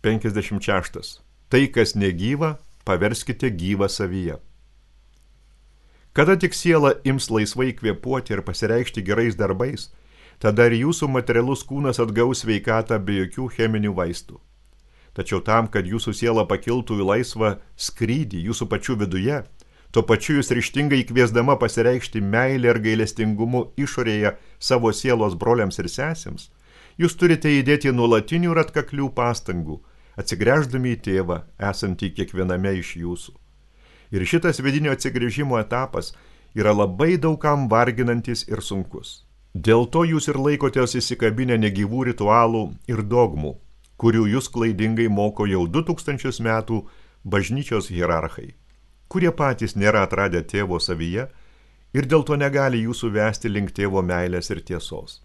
56. Tai, kas negyva, paverskite gyvą savyje. Kada tik siela ims laisvai kvėpuoti ir pasireikšti gerais darbais, tada ir jūsų materialus kūnas atgaus sveikatą be jokių cheminių vaistų. Tačiau tam, kad jūsų siela pakiltų į laisvą skrydį jūsų pačių viduje, tuo pačiu jūs ryžtingai kviesdama pasireikšti meilę ir gailestingumu išorėje savo sielos broliams ir sesėms, jūs turite įdėti nuolatinių ir atkaklių pastangų, atsigręždami į tėvą, esantį kiekviename iš jūsų. Ir šitas vidinio atsigręžimo etapas yra labai daugam varginantis ir sunkus. Dėl to jūs ir laikotės įsikabinę negyvų ritualų ir dogmų, kurių jūs klaidingai moko jau 2000 metų bažnyčios hierarchai, kurie patys nėra atradę tėvo savyje ir dėl to negali jūsų vesti link tėvo meilės ir tiesos.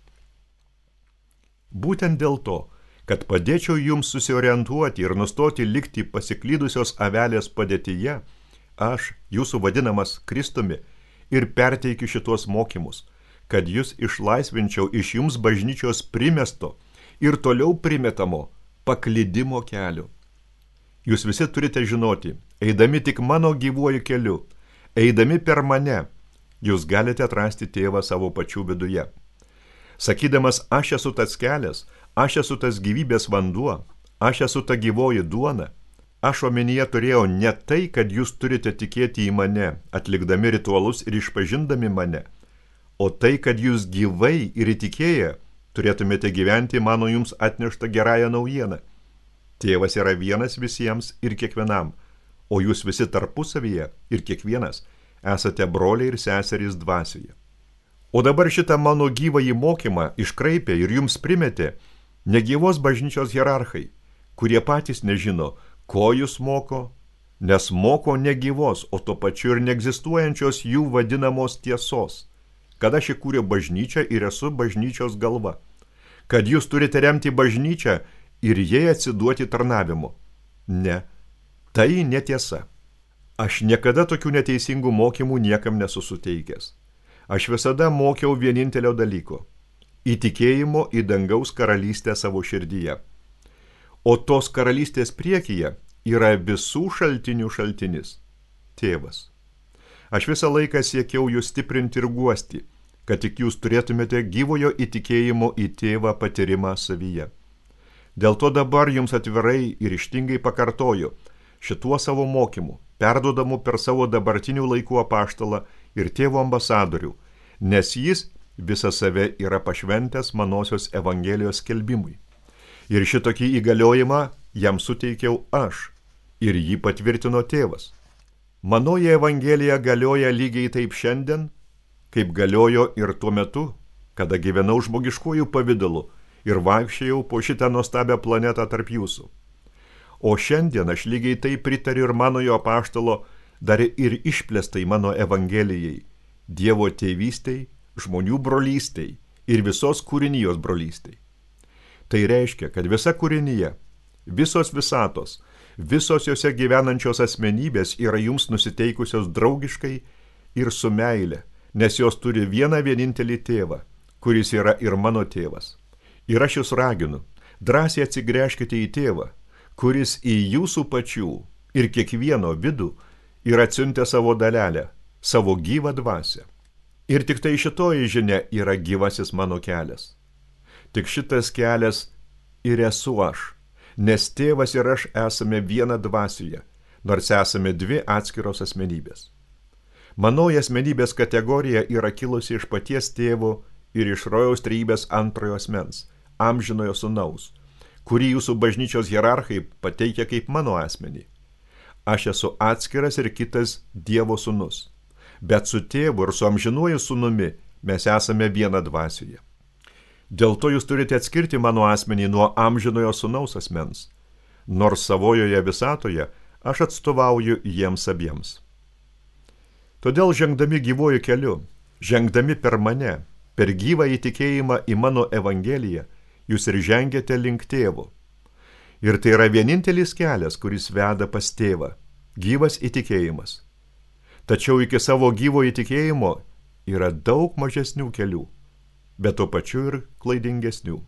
Būtent dėl to, kad padėčiau jums susiorientuoti ir nustoti likti pasiklydusios avelės padėtyje, aš, jūsų vadinamas Kristumi, ir perteikiu šitos mokymus, kad jūs išlaisvinčiau iš jums bažnyčios primesto ir toliau primetamo paklydimo kelio. Jūs visi turite žinoti, eidami tik mano gyvuoju keliu, eidami per mane, jūs galite atrasti tėvą savo pačių viduje. Sakydamas, aš esu tas kelias, aš esu tas gyvybės vanduo, aš esu ta gyvoji duona, aš omenyje turėjau ne tai, kad jūs turite tikėti į mane, atlikdami ritualus ir išpažindami mane, o tai, kad jūs gyvai ir įtikėję turėtumėte gyventi mano jums atneštą gerąją naujieną. Tėvas yra vienas visiems ir kiekvienam, o jūs visi tarpusavyje ir kiekvienas esate broliai ir seserys dvasioje. O dabar šitą mano gyvąjį mokymą iškraipė ir jums primetė negyvos bažnyčios hierarchai, kurie patys nežino, ko jūs moko, nes moko negyvos, o to pačiu ir neegzistuojančios jų vadinamos tiesos, kad aš įkūriau bažnyčią ir esu bažnyčios galva, kad jūs turite remti bažnyčią ir jai atsiduoti tarnavimu. Ne, tai netiesa. Aš niekada tokių neteisingų mokymų niekam nesu suteikęs. Aš visada mokiau vienintelio dalyko – įtikėjimo į dangaus karalystę savo širdyje. O tos karalystės priekyje yra visų šaltinių šaltinis – tėvas. Aš visą laiką siekiau jūs stiprinti ir guosti, kad tik jūs turėtumėte gyvojo įtikėjimo į tėvą patyrimą savyje. Dėl to dabar jums atvirai ir ryžtingai pakartoju šituo savo mokymu, perduodamu per savo dabartinių laikų apaštalą ir tėvo ambasadorių, nes jis visą save yra pašventęs manosios evangelijos skelbimui. Ir šitokį įgaliojimą jam suteikiau aš, ir jį patvirtino tėvas. Manoji evangelija galioja lygiai taip šiandien, kaip galiojo ir tuo metu, kada gyvenau žmogiškųjų pavidalu ir vaikščiojau po šitą nuostabią planetą tarp jūsų. O šiandien aš lygiai taip pritariu ir manojo apaštalo dar ir išplėstai mano evangelijai, Dievo tėvystei, žmonių brolystei ir visos kūrinijos brolystei. Tai reiškia, kad visa kūrinija, visos visatos, visos jose gyvenančios asmenybės yra jums nusiteikusios draugiškai ir su meile, nes jos turi vieną vienintelį tėvą, kuris yra ir mano tėvas. Ir aš jūs raginu, drąsiai atsigręžkite į tėvą, kuris į jūsų pačių ir kiekvieno vidų yra atsiuntę savo dalelę, savo gyvą dvasią. Ir tik tai šitoji žinia yra gyvasis mano kelias. Tik šitas kelias ir esu aš, nes tėvas ir aš esame viena dvasioje, nors esame dvi atskiros asmenybės. Manoji asmenybės kategorija yra kilusi iš paties tėvo ir iš rojaus trejybės antrojo asmens, amžinojo sūnaus, kurį jūsų bažnyčios hierarchai pateikia kaip mano asmenį. Aš esu atskiras ir kitas Dievo sūnus, bet su tėvu ir su amžinuoju sūnumi mes esame viena dvasioje. Dėl to jūs turite atskirti mano asmenį nuo amžinojo sūnaus asmens, nors savojoje visatoje aš atstovauju jiems abiems. Todėl žengdami gyvuoju keliu, žengdami per mane, per gyvą įtikėjimą į mano evangeliją, jūs ir žengiate link tėvo. Ir tai yra vienintelis kelias, kuris veda pas tėvą, gyvas įtikėjimas. Tačiau iki savo gyvo įtikėjimo yra daug mažesnių kelių, bet tuo pačiu ir klaidingesnių.